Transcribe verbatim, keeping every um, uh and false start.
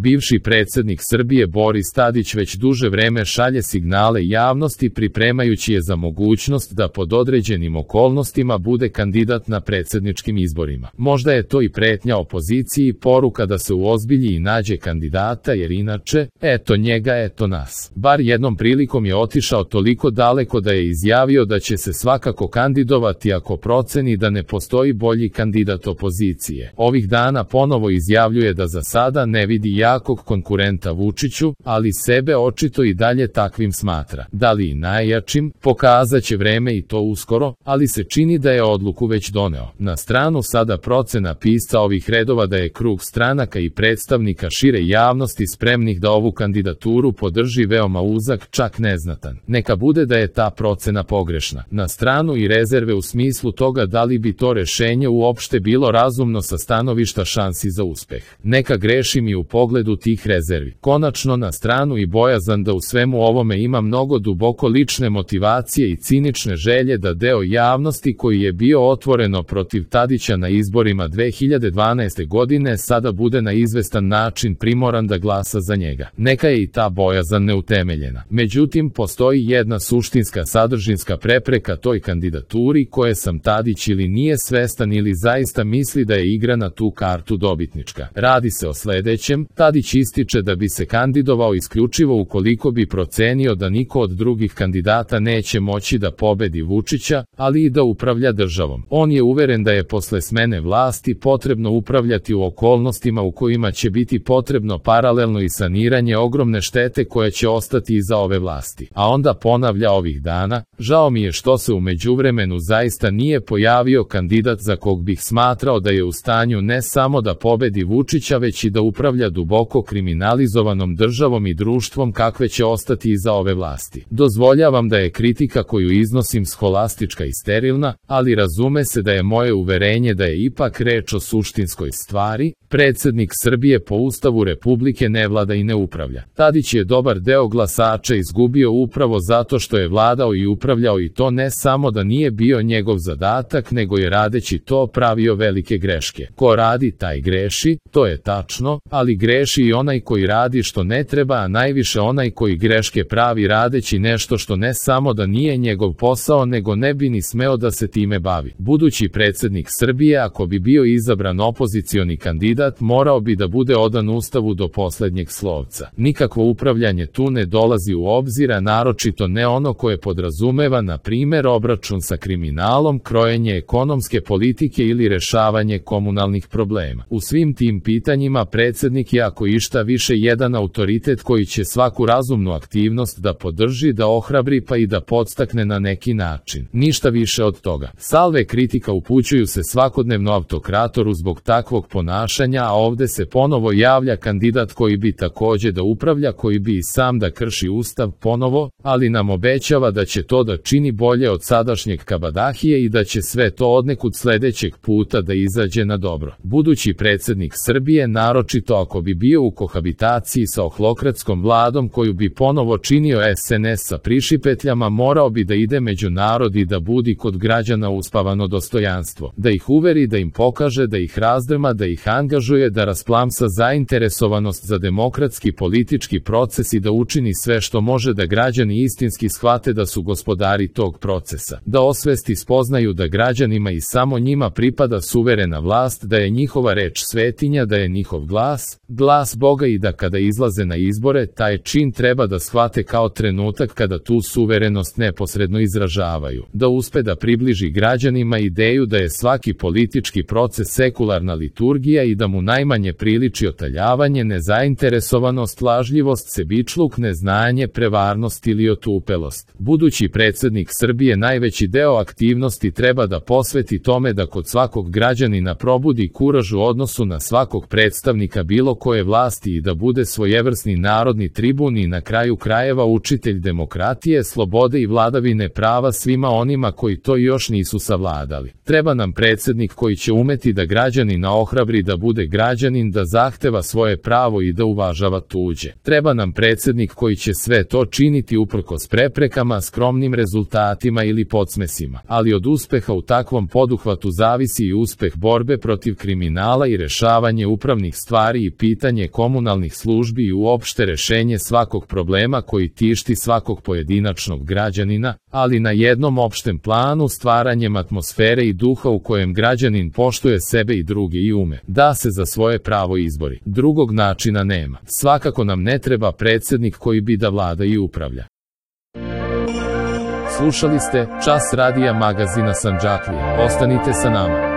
Bivši predsjednik Srbije Boris Tadić već duže vreme šalje signale javnosti pripremajući je za mogućnost da pod određenim okolnostima bude kandidat na predsjedničkim izborima. Možda je to i pretnja opoziciji i poruka da se uozbilji i nađe kandidata jer inače, eto njega, eto nas. Bar jednom prilikom je otišao toliko daleko da je izjavio da će se svakako kandidovati ako proceni da ne postoji bolji kandidat opozicije. Ovih dana ponovo izjavljuje da za sada ne vidi jakog konkurenta Vučiću, ali sebe očito i dalje takvim smatra. Da li i najjačim, pokazat će vreme i to uskoro, ali se čini da je odluku već doneo. Na stranu sada procena pisca ovih redova da je krug stranaka i predstavnika šire javnosti spremnih da ovu kandidaturu podrži veoma uzak, čak neznatan. Neka bude da je ta procena pogrešna. Na stranu i rezerve u smislu toga da li bi to rešenje uopšte bilo razumno sa stanovišta šansi za uspeh. Neka grešim i u pogledu tih rezervi. Konačno na stranu i bojazan da u svemu ovome ima mnogo duboko lične motivacije i cinične želje da deo javnosti koji je bio otvoreno protiv Tadića na izborima dve hiljade dvanaeste godine sada bude na izvestan način primoran da glasa za njega. Neka je i ta bojazan neutemeljena. Međutim, postoji jedna suštinska sadržinska prepreka toj kandidaturi koje sam Tadić ili nije svestan ili zaista misli da je igra na tu kartu dobitnička. Radi se o sledećem, Tadić ističe da bi se kandidovao isključivo ukoliko bi procenio da niko od drugih kandidata neće moći da pobedi Vučića, ali i da upravlja državom. On je uveren da je posle smene vlasti potrebno upravljati u okolnostima u kojima će biti potrebno paralelno i saniranje ogromne štete koja će ostati iza ove vlasti. A onda ponavlja ovih dana, žao mi je što se u međuvremenu zaista nije pojavio kandidat za kog bih smatrao da je u stanju ne samo da pobedi Vučića već i da upravlja duboko kriminalizovanom državom i društvom kakve će ostati iza ove vlasti. Dozvoljavam da je kritika koju iznosim scholastička i sterilna, ali razume se da je moje uverenje da je ipak reč o suštinskoj stvari. Predsjednik Srbije po Ustavu Republike ne vlada i ne upravlja. Tadić je dobar deo glasača izgubio upravo zato što je vladao i upravljao i to ne samo da nije bio njegov zadatak nego je radeći to pravio velike greške. Ko radi taj greši, to je tačno, ali greši i onaj koji radi što ne treba, a najviše onaj koji greške pravi radeći nešto što ne samo da nije njegov posao nego ne bi ni smeo da se time bavi. Budući predsjednik Srbije ako bi bio izabran opozicioni kandidat morao bi da bude odan Ustavu do poslednjeg slovca. Nikakvo upravljanje tu ne dolazi u obzir, a naročito ne ono koje podrazumeva na primer obračun sa kriminalom, krojenje ekonomske politike ili rešavanje komunalnih problema. U svim tim pitanjima predsjednik je ako išta više jedan autoritet koji će svaku razumnu aktivnost da podrži, da ohrabri pa i da podstakne na neki način. Ništa više od toga. Salve kritika upućuju se svakodnevno autokratoru zbog takvog ponašanja, a ovde se ponovo javlja kandidat koji bi takođe da upravlja, koji bi i sam da krši Ustav ponovo, ali nam obećava da će to da čini bolje od sadašnjeg kabadahije i da će sve to odnekud sledećeg puta da izađe na dobro. Budući predsjednik Srbije, naročito ako bi bio u kohabitaciji sa ohlokratskom vladom koju bi ponovo činio es en es sa prišipetljama, morao bi da ide među narod i da budi kod građana uspavano dostojanstvo, da ih uveri, da im pokaže, da ih razdrma, da ih angažuje, da rasplamsa zainteresovanost za demokratski politički proces i da učini sve što može da građani istinski shvate da su gospodari tog procesa, da osvesti spoznaju da građanima i samo njima pripada suverena vlast, da je njihova reč svetinja, da je njihov glas, glas Boga i da kada izlaze na izbore, taj čin treba da shvate kao trenutak kada tu suverenost neposredno izražavaju, da uspe da približi građanima ideju da je svaki politički proces sekularna liturgija i da mu najmanje priliči otaljavanje, nezainteresovanost, lažljivost, sebičluk, neznanje, prevarnost ili otupelost. Budući predsjednik Srbije najveći deo aktivnosti treba da posveti tome da kod svakog građanina probudi kuraž u odnosu na svakog predstavnika bilo koje vlasti i da bude svojevrsni narodni tribun i na kraju krajeva učitelj demokratije, slobode i vladavine prava svima onima koji to još nisu savladali. Treba nam predsjednik koji će umeti da građanina ohrabri da bude građanin, da zahteva svoje pravo i da uvažava tuđe. Treba nam predsjednik koji će sve to činiti uprkos preprekama, skromnim rezultatima ili podsmesima. Ali od uspeha u takvom poduhvatu zavisi i uspeh borbe protiv kriminala i rešavanje upravnih stvari i pitanja funkcionisanje komunalnih službi i uopšte rešenje svakog problema koji tišti svakog pojedinačnog građanina, ali na jednom opštem planu stvaranjem atmosfere i duha u kojem građanin poštuje sebe i druge i ume da se za svoje pravo izbori. Drugog načina nema. Svakako nam ne treba predsednik koji bi da vlada i upravlja. Slušali ste Čas radija magazina Sandžaklija. Ostanite sa nama.